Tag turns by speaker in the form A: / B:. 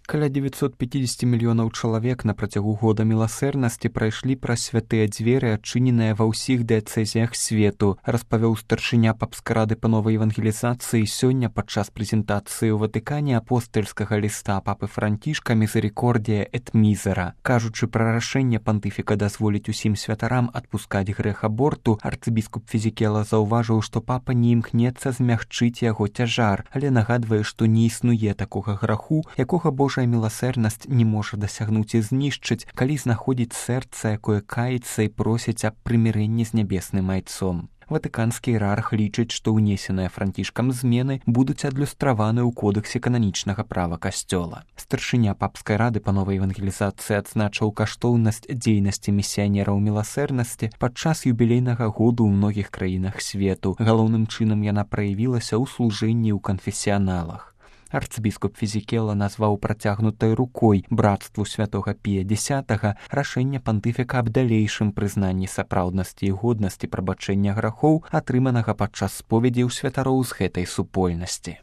A: Каля 950 мільёнаў чалавек на працягу года міласэрнасці прайшлі праз святыя дзверы, адчыненыя ва ўсіх дыяцэзіях свету, распавёў старшыня папскай рады па новай евангелізацыі сёння падчас прэзентацыі ў Ватыкане апостальскага ліста папы Францішка «Мізерикордія эт мізера». Кажучы пра рашэнне пантыфіка дазволіць усім святарам адпускаць грэх аборту, арцыбіскуп Фізікела заўважыў, што папа не імкнецца змягчыць яго цяжар, але нагадвае, што не існуе такога граху, якога Божая міласэрнасць не можа дасягнуць і знішчыць, калі знаходзіць сэрца, якое каецца і просіць аб прымірэнні з нябесным айцом. Ватыканскі іерарх лічыць, што ўнесеныя Францішкам змены будуць адлюстраваны ў кодэксе кананічнага права касцёла. Старшыня папскай рады па новай евангелізацыі адзначыў каштоўнасць дзейнасці місіянераў міласэрнасці падчас юбілейнага году ў многіх краінах свету. Галоўным чынам яна праявілася ў служэнні ў канфесіяналах. Арцыбіскуп Фізікела назваў працягнутай рукой брацтву святога Пія X рашэнне пантыфіка аб далейшым прызнанні сапраўднасці і годнасці прабачэння грахоў, атрыманага падчас споведзі ў святароў з гэтай супольнасці.